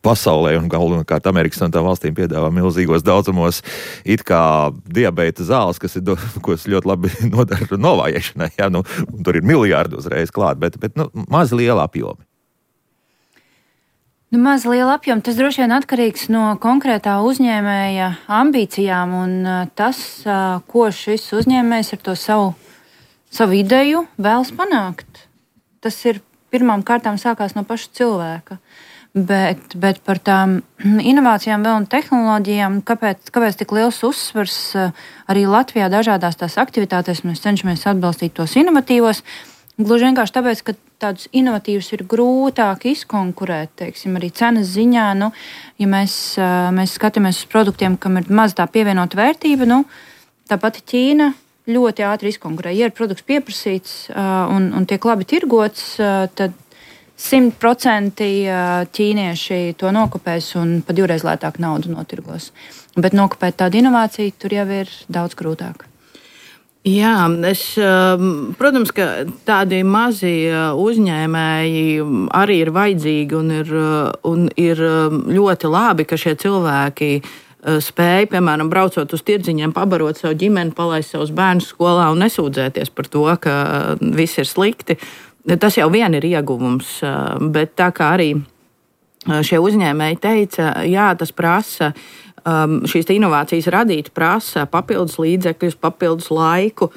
pasaulē un galvenokārt Amerikas un tā valstīm piedāvā milzīgos daudzumos it kā diabēta zāles, kas ļoti labi nodara novājēšanai. Ja, tur ir miljārdi uzreiz klāt, bet maz liela apjomi. Maz liela apjoma, tas droši vien atkarīgs no konkrētā uzņēmēja ambīcijām un tas, ko šis uzņēmējs ar to savu ideju vēlas panākt. Tas ir pirmām kārtām sākās no paša cilvēka. Bet par tām inovācijām vēl un tehnoloģijām, kāpēc tik liels uzsvars arī Latvijā dažādās tās aktivitātēs mēs cenšamies atbalstīt tos inovatīvos. Gluži vienkārši tāpēc, ka tādus inovatīvus ir grūtāk izkonkurēt, teiksim, arī cenas ziņā. Ja mēs skatāmies uz produktiem, kam ir maz tā pievienota vērtība, tā pati Ķīna ļoti ātri izkonkurē. Ja ir produkts pieprasīts un tiek labi tirgots, tad 100% ķīnieši to nokopēs un pa 2 lētāk naudu notirgos. Bet nokopēt tādu inovāciju tur jau ir daudz grūtāk. Jā, protams, ka tādi mazi uzņēmēji arī ir vajadzīgi un ir ļoti labi, ka šie cilvēki spēja, piemēram, braucot uz tirdziņiem, pabarot savu ģimeni, palaist savus bērnus skolā un nesūdzēties par to, ka viss ir slikti. Tas jau vien ir ieguvums, bet tā kā arī šie uzņēmēji teica, jā, tas prasa šīs inovācijas radīt, prasa papildus līdzekļus, papildus laiku,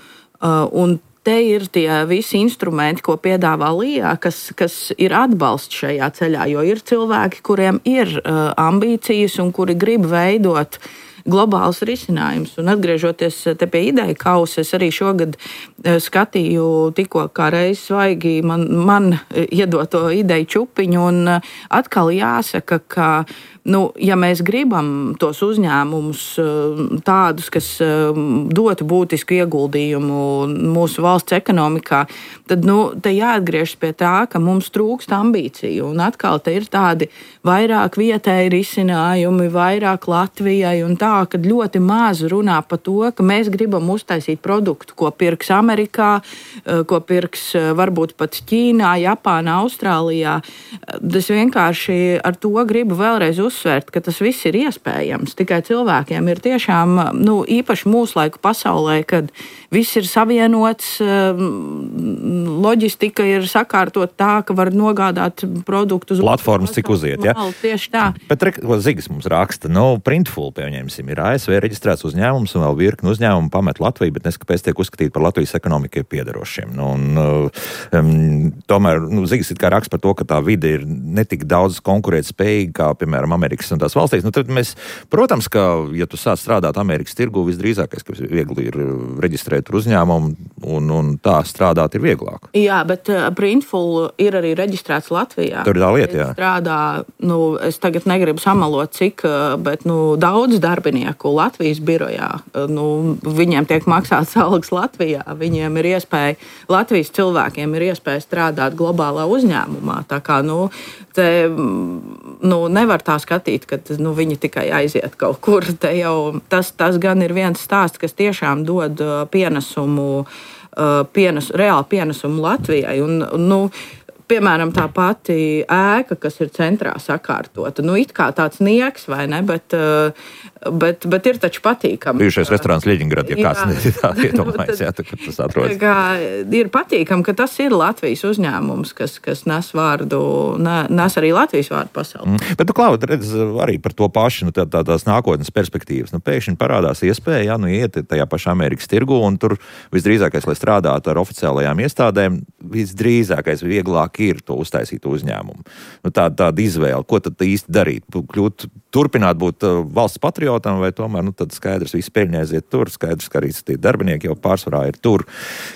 un te ir tie visi instrumenti, ko piedāvā LIA, kas ir atbalsts šajā ceļā, jo ir cilvēki, kuriem ir ambīcijas un kuri grib veidot globāls risinājums. Un atgriežoties te pie ideja kausa, es arī šogad skatīju tikko kā reiz svaigi man iedoto ideju čupiņu, un atkal jāsaka, ka ja mēs gribam tos uzņēmumus tādus, kas dotu būtisku ieguldījumu mūsu valsts ekonomikā, tad te jāatgriežas pie tā, ka mums trūkst ambīciju. Un atkal te ir tādi vairāk vietēji risinājumi, vairāk Latvijai un tā, kad ļoti maz runā par to, ka mēs gribam uztaisīt produktu, ko pirks Amerikā, ko pirks varbūt pat Ķīnā, Japānā, Austrālijā. Es vienkārši ar to gribu vēlreiz uzsvērt, ka tas viss ir iespējams. Tikai cilvēkiem ir tiešām, īpaši mūslaiku pasaulē, kad viss ir savienots, loģistika ir sakārtot tā, ka var nogādāt produktus. Platformas cik uziet, ja? Tieši tā. Bet Zigis mums raksta, Printful, pieņemsim, ir ASV reģistrēts uzņēmums un vēl virkni uzņēmumu pamet Latviju, bet neskapēc tiek uzskatīt par Latvijas ekonomikai piederošiem. Tomēr Zigis it kā raksta par to, ka tā vide ir netik daudz konkurēt spējīga, kā, piemēram, Amerikas un tās valstīs. Tad mēs, protams, ka, ja tu sāc strādāt Amerikas tirgu, visdrīzākais, ka viegli ir reģistrēt uzņēmumu un tā strādāt ir vieglāk. Jā, bet Printful ir arī reģistrēts Latvijā. Tur ir tā lieta, jā. Strādā, es tagad negribu samalot cik, bet daudz darbinieku Latvijas birojā. Viņiem tiek maksāts algas Latvijā. Viņiem ir iespēja, Latvijas cilvēkiem ir iespēja strādāt globālā uzņēmumā. Tā kā, te nevar tā skatīt, ka viņi tikai aiziet kaut kur. Te jau tas gan ir viens stāsts, kas tiešām dod reāli pienesumu Latvijai. piemēram, tā pati ēka, kas ir centrā sakārtota, it kā tāds nieks, vai ne, bet ir taču patīkami. Bijušais restorāns Ļeņingrad, ja kāds iedomājas, tas atrodas. Ir patīkami, ka tas ir Latvijas uzņēmums, kas nes arī Latvijas vārdu pasaulē. Bet, Klauda, redz arī par to pašu, tās nākotnes perspektīvas. Pēkšņi parādās iespēja, iet tajā pašā Amerikas tirgu, un tur visdrīzākais, lai strādātu ar oficiālajām iestādēm, visdrīzākais vieglāk ir to uztaisīt uzņēmumu. Tāda izvēle, ko tad īsti darīt? Turpināt būt valsts patriotam, vai tomēr tad skaidrs, visi peļņi aiziet tur, skaidrs, ka arī tie darbinieki jau pārsvarā ir tur,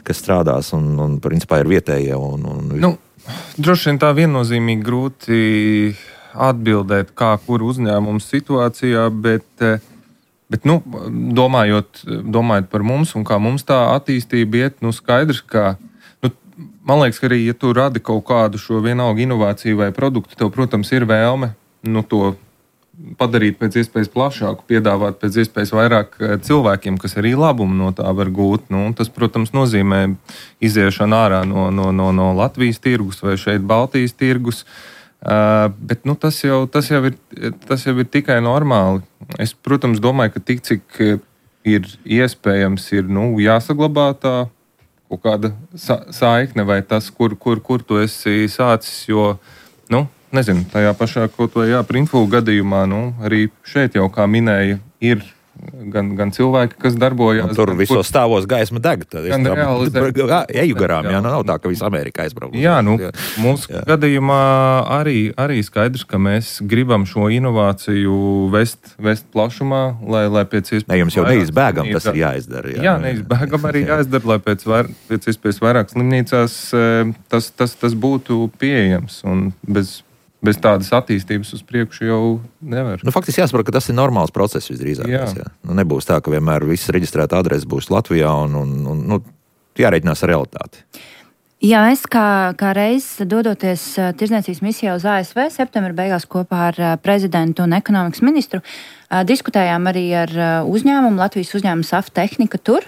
kas strādās un principā ir vietējie. Droši vien tā viennozīmīgi grūti atbildēt, kā kur uzņēmums situācijā, bet domājot par mums un kā mums tā attīstība iet, skaidrs, ka man liekas, ka arī, ja tu radi kaut kādu šo vienalga inovāciju vai produktu, tev, protams, ir vēlme to padarīt pēc iespējas plašāku, piedāvāt pēc iespējas vairāk cilvēkiem, kas arī labumu no tā var gūt. Tas, protams, nozīmē iziešanu ārā no Latvijas tirgus vai šeit Baltijas tirgus. Bet tas jau ir tikai normāli. Es, protams, domāju, ka tik cik ir iespējams, ir jāsaglabā tā kaut kāda saikne vai tas, kur tu esi sācis, jo, nezinu, tajā pašā kaut vai Printful gadījumā, arī šeit jau, kā minēja, ir gan cilvēki, kas darbojas. Tur visos stāvos gaisma deg. Eju garām, nav tā, ka visa Amerika aizbrauc. Mūsu gadījumā arī skaidrs, ka mēs gribam šo inovāciju vest plašumā, lai pēc iespējas... Ne, jums jau neizbēgam tas ir jāizdara. Neizbēgam arī jāizdara, lai pēc iespējas vairāk slimnīcās tas būtu pieejams un bez tādas attīstības uz priekšu jau nevar. Faktiski jāsaprot, ka tas ir normāls process visdrīzākais. Nebūs tā, ka vienmēr viss reģistrēta adrese būs Latvijā un jārēķinās ar realitāti. Jā, es kā reiz dodoties tirdzniecības misijā uz ASV septembra beigās kopā ar prezidentu un ekonomikas ministru, diskutējām arī ar uzņēmumu, Latvijas uzņēmumu SAF Tehnika tur,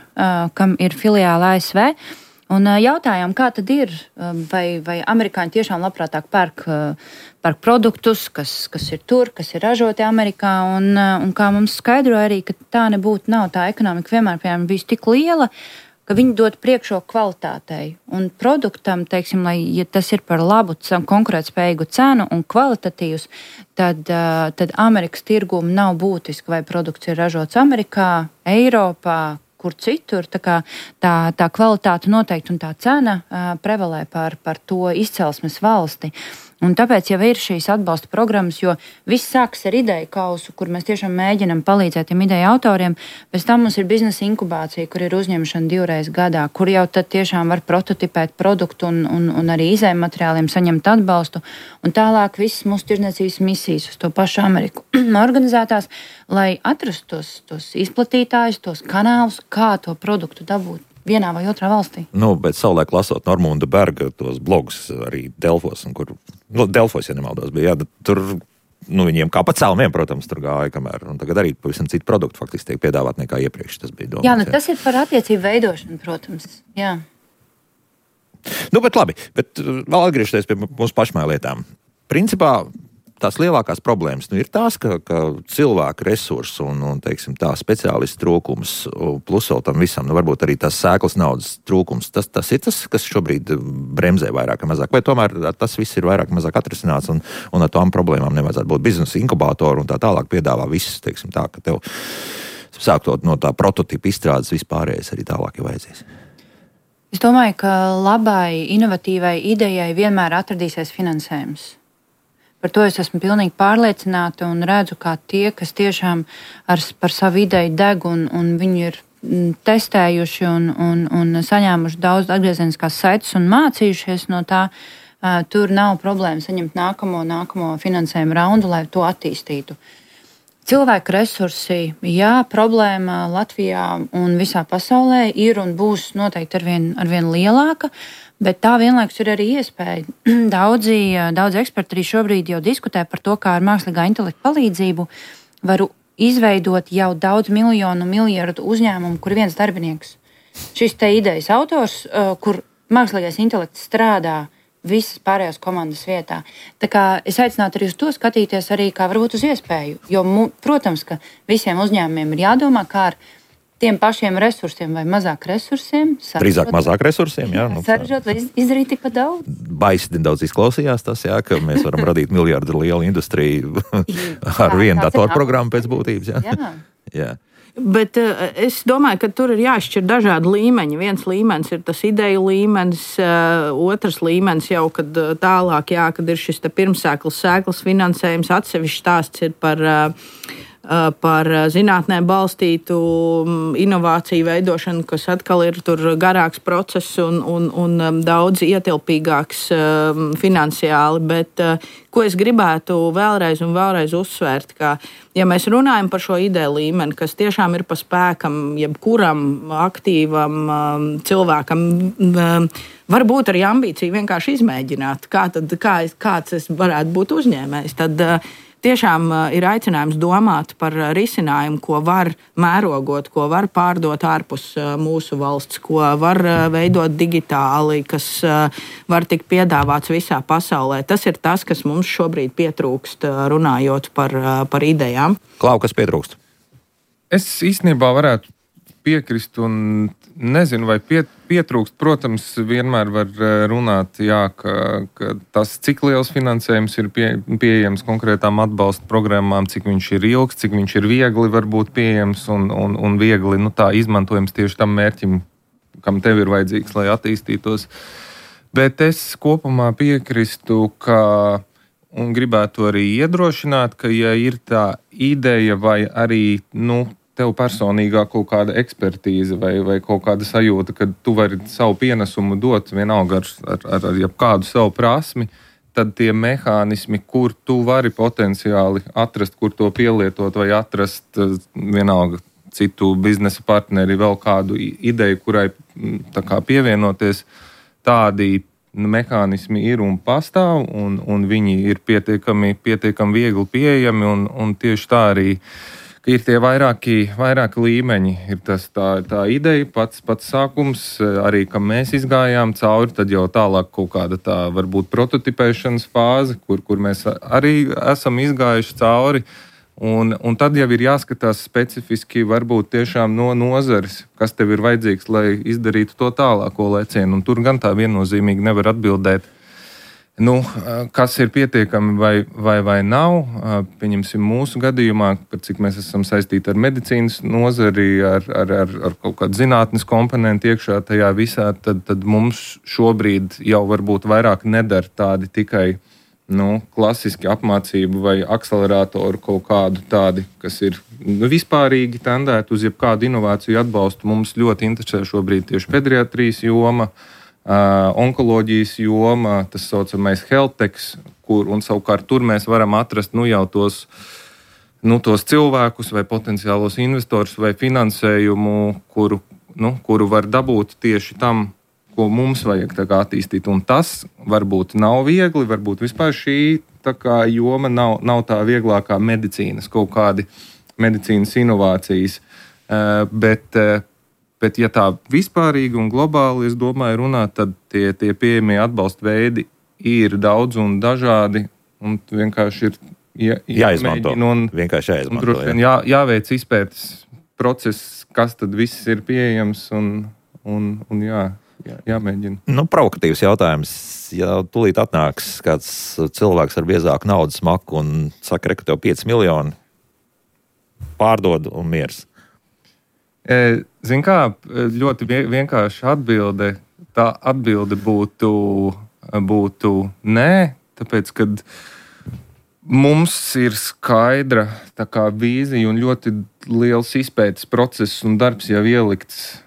kam ir filiāla ASV. Un jautājām, kā tad ir, vai amerikāņi tiešām labprātāk pērk produktus, kas ir tur, kas ir ražoti Amerikā, un kā mums skaidroja arī, ka tā nebūtu, nav tā ekonomika vienmēr, piemēram, bijusi tik liela, ka viņi dod priekšroku kvalitātei un produktam, teiksim, ja tas ir par labu konkurētspējīgu cenu un kvalitatīvs, tad Amerikas tirgum nav būtiski, vai produkts ir ražots Amerikā, Eiropā, kur citur. Tā kvalitāte noteikti un tā cena prevalē par to izcelsmes valsti. Un tāpēc jau ir šīs atbalsta programmas, jo viss sākas ar ideju kausu, kur mēs tiešām mēģinam palīdzēt tiem ideju autoriem. Pēc tam mums ir biznesa inkubācija, kur ir uzņemšana 2 reizes gadā, kur jau tad tiešām var prototipēt produktu un arī izējuma materiāliem saņemt atbalstu. Un tālāk visas mūsu tirdzniecības misijas uz to pašu Ameriku organizētās, lai atrastu tos izplatītājus, tos kanālus, kā to produktu dabūt vienā vai otrā valstī. Bet savulaik lasot Normunda Berga tos blogus arī Delfos, Delfos, ja nemaldos, bija, tur viņiem kā pa celmiem, protams, tur gāja, kamēr, un tagad arī pavisam citu produktu faktiski tiek piedāvāt nekā iepriekš tas bija domāts. Tas ir par attiecību veidošanu, protams, jā. Bet labi, vēl atgriežoties pie mūsu pašmāju lietām. Principā tās lielākās problēmas ir tās, ka cilvēku resursu un teiksim, tā speciālistu trūkums, plus vēl tam visam, varbūt arī tās sēklas naudas trūkums, tas ir tas, kas šobrīd bremzē vairāk vai mazāk, vai tomēr tas viss ir vairāk vai mazāk atrisināts un ar tām problēmām nevajadzētu būt. Biznesa inkubātoru un tā tālāk piedāvā visus, teiksim tā, ka tev sāktot no tā prototipa izstrādes vispārējais arī tālāk jau vajadzīs. Es domāju, ka labai, inovatīvai idejai vienmēr atradīsies finansējums. Par to es esmu pilnīgi pārliecināta un redzu, kā tie, kas tiešām par savu ideju deg un viņi ir testējuši un saņēmuši daudz atgriezeniskās saites un mācījušies no tā, tur nav problēma saņemt nākamo finansējumu raundu, lai to attīstītu. Cilvēku resursi, problēma Latvijā un visā pasaulē ir un būs noteikti arvien lielāka. Bet tā vienlaikus ir arī iespēja. Daudzi eksperti arī šobrīd jau diskutē par to, kā ar mākslīgā intelekta palīdzību varu izveidot jau daudz miljonu, miljardu uzņēmumu, kur viens darbinieks. Šis te idejas autors, kur mākslīgais intelekts strādā visas pārējās komandas vietā. Tā kā es aicinātu arī uz to skatīties arī kā varbūt uz iespēju, jo, protams, ka visiem uzņēmumiem ir jādomā, kā ar tiem pašiem resursiem vai mazāk resursiem. Drīzāk mazāk resursiem, jā. Sarežot, lai izdarīt tikpat daudz. Baisi daudz izklausījās tas, jā, ka mēs varam radīt miljardu lielu industriju ar vienu datorprogrammu pēc būtības, jā. Bet es domāju, ka tur ir jāšķir dažādi līmeņi. Viens līmenis ir tas ideju līmenis, otrs līmenis jau, kad tālāk, kad ir šis pirmsēklas finansējums, atsevišķs stāsts ir par zinātnē balstītu inovāciju veidošanu, kas atkal ir tur garāks process un daudz ietilpīgāks finansiāli. Bet ko es gribētu vēlreiz uzsvērt, ka, ja mēs runājam par šo ideju līmeni, kas tiešām ir pa spēkam jebkuram aktīvam cilvēkam, varbūt arī ambīcija vienkārši izmēģināt, kāds es varētu būt uzņēmējs, tad tiešām ir aicinājums domāt par risinājumu, ko var mērogot, ko var pārdot ārpus mūsu valsts, ko var veidot digitāli, kas var tikt piedāvāts visā pasaulē. Tas ir tas, kas mums šobrīd pietrūkst, runājot par idejām. Klau, kas pietrūkst? Es īstenībā varētu piekrist un nezinu, vai pietrūkst. Protams, vienmēr var runāt, ka tas, cik liels finansējums ir pieejams konkrētām atbalsta programmām, cik viņš ir ilgs, cik viņš ir viegli var būt pieejams un viegli tā izmantojams tieši tam mērķim, kam tev ir vajadzīgs, lai attīstītos. Bet es kopumā piekristu, un gribētu arī iedrošināt, ka ja ir tā ideja vai arī, tev personīgā kaut kāda ekspertīze vai kaut kāda sajūta, ka tu vari savu pienesumu dot vienalga ar jebkādu savu prasmi, tad tie mehānismi, kur tu vari potenciāli atrast, kur to pielietot vai atrast vienalga citu biznesa partneri, vēl kādu ideju, kurai tā kā pievienoties, tādi mehānismi ir un pastāv, un viņi ir pietiekami viegli pieejami, un tieši tā arī ir tie vairāki līmeņi. Ir tā ideja, pats sākums, arī kam mēs izgājām cauri, tad jau tālāk kaut kāda tā varbūt prototipēšanas fāze, kur mēs arī esam izgājuši cauri. Un tad jau ir jāskatās specifiski varbūt tiešām no nozares, kas tev ir vajadzīgs, lai izdarītu to tālāko lecienu. Un tur gan tā viennozīmīgi nevar atbildēt, kas ir pietiekami vai nav. Pieņemsim mūsu gadījumā, par cik mēs esam saistīti ar medicīnas nozari, ar kaut kādu zinātnes komponentu iekšā tajā visā, tad mums šobrīd jau varbūt vairāk nedara tādi tikai klasiski apmācību vai akceleratoru kaut kādu tādi, kas ir vispārīgi tendēti uz jebkādu inovāciju atbalstu. Mums ļoti interesē šobrīd tieši pediatrijas joma, onkoloģijas joma, tas saucamais health-techs, un savukārt tur mēs varam atrast jau tos cilvēkus vai potenciālos investorus vai finansējumu, kuru var dabūt tieši tam, ko mums vajag attīstīt. Un tas varbūt nav viegli, varbūt vispār šī joma nav tā vieglākā medicīnas, kaut kādi medicīnas inovācijas. Bet ja tā vispārīgi un globāli, es domāju, runāt, tad tie pieejamie atbalsta veidi ir daudz un dažādi, un vienkārši ir jāizmanto. Vienkārši jāizmanto. Jāveic izpētes process, kas tad viss ir pieejams, un jāmēģina. Provokatīvs jautājums. Ja tūlīt atnāks kāds cilvēks ar biezāku naudas maku un saka, ka tev 5 miljoni pārdod un miers. Zin kā, ļoti vienkārši atbilde. Tā atbilde būtu nē, tāpēc, kad mums ir skaidra vīzija un ļoti liels izpētes process un darbs jau ielikts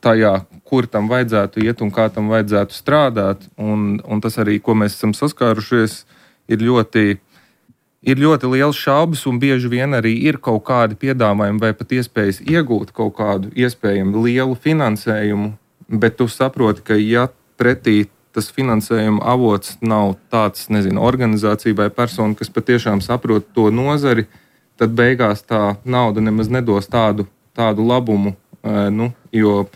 tajā, kur tam vajadzētu iet un kā tam vajadzētu strādāt. Un tas arī, ko mēs esam saskārušies, ir ļoti liels šaubas, un bieži vien arī ir kaut kādi piedāvājumi vai pat iespējas iegūt kaut kādu iespējami lielu finansējumu, bet tu saproti, ka ja pretī tas finansējuma avots nav tāds, organizācija vai persona, kas patiešām saprot to nozari, tad beigās tā nauda nemaz nedos tādu labumu. Jo,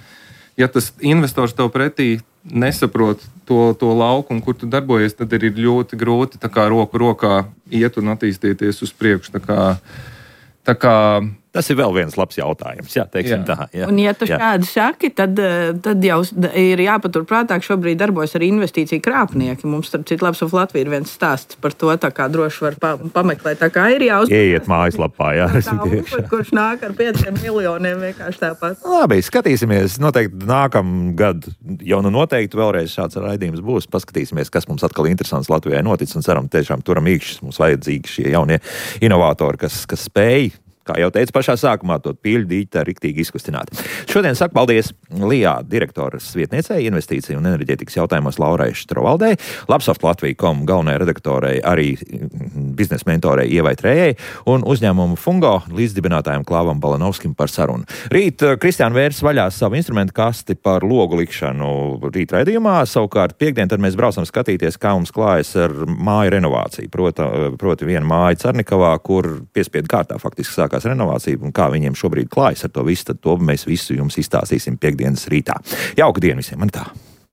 ja tas investors tev pretī nesaprot to laukumu, kur tu darbojies, tad ir ļoti grūti tā kā roku rokā iet un attīstīties uz priekšu. Tā kā tas ir vēl viens labs jautājums. Jā, teiksim tā. Jā. Un, ja tu šādi saki, tad jau ir jāpaturprātā, ka šobrīd darbojas arī investīciju krāpnieki. Mums, starp citu, Labsov Latvija ir viens stāsts par to, tā kā droši var pameklēt. Tā kā ir jāuzmanās. Ieiet mājaslapā, jā. Kurš nāk ar 5 miljoniem vienkārši tāpat. Labi, skatīsimies. Noteikti nākamgad jau noteikti vēlreiz šāds raidījums būs. Paskatīsimies, kas mums atkal interesants Latvijai notic un ceram tiešām turam īkšķis. Mums vajadzīgi šie jaunie inovatori, kas spēj, kā jau teicu pašā sākumā, to pīļu dīķi riktīgi izkustināt. Šodien saku paldies LIA direktoras vietniecei investīciju un enerģētikas jautājumos Laurai Štrovaldei, Labsoft Latvija.com galvenajai redaktorei, arī biznesa mentorei Ievai Trējai un uzņēmumu Fungo līdzdibinātājiem Klāvam Balanovskim par sarunu. Rīt Kristiāna vērs vaļās savu instrumentu kasti par logu likšanu rīt raidījumā. Savukārt piekdien tad mēs braucam skatīties, kā mums klājas ar māju renovāciju. Proti viena māja Carnikavā, kur piespiedu kārtā faktiski sākās renovācija un kā viņiem šobrīd klājas ar to visu, tad to mēs visu jums izstāstīsim piekdienas rītā. Jauka diena visiem, man tā!